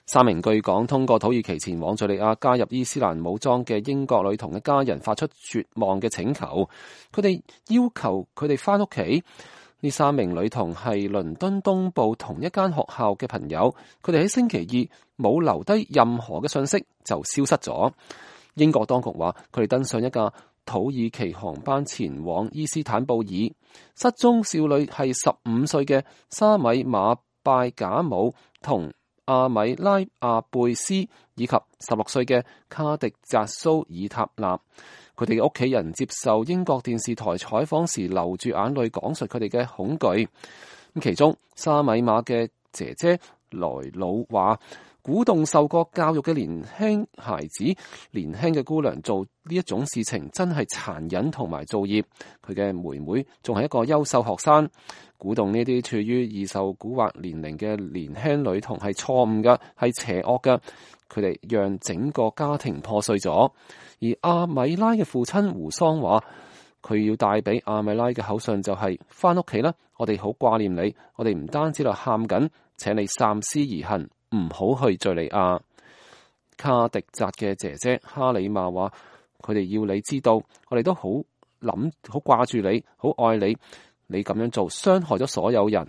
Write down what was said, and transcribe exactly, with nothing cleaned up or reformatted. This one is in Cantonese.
三名據講通過土耳其前往敘利亞加入伊斯蘭武裝嘅英國女童嘅家人發出絕望嘅請求，佢哋要求佢哋翻屋企。呢三名女童係倫敦東部同一間學校嘅朋友，佢哋喺星期二冇留低任何嘅信息就消失咗。英國當局話佢哋登上一架土耳其航班前往伊斯坦布爾。失蹤少女係十五歲嘅沙米馬拜賈姆同阿米拉阿貝斯，以及十六歲嘅卡迪扎蘇爾塔納。佢哋嘅屋企人接受英國電視台採訪時流住眼淚講述佢哋嘅恐懼。咁其中沙米馬嘅姐姐萊魯話，鼓動受過教育嘅年輕孩子、年輕嘅姑娘做呢一種事情真係殘忍同埋造業。佢嘅妹妹仲係一個優秀學生，鼓動呢啲處於易受蠱惑年齡嘅年輕女童係錯誤嘅，係邪惡嘅。佢哋讓整個家庭破碎咗。而阿米拉嘅父親胡桑話，佢要帶俾阿米拉嘅口信就係翻屋企啦，我哋好掛念你，我哋唔單止喺度喊緊，請你三思而行，唔好去敘利亞。卡迪扎嘅姐姐哈里瑪話，佢哋要你知道，我哋都好諗好掛住你，好愛你，你咁樣做傷害咗所有人。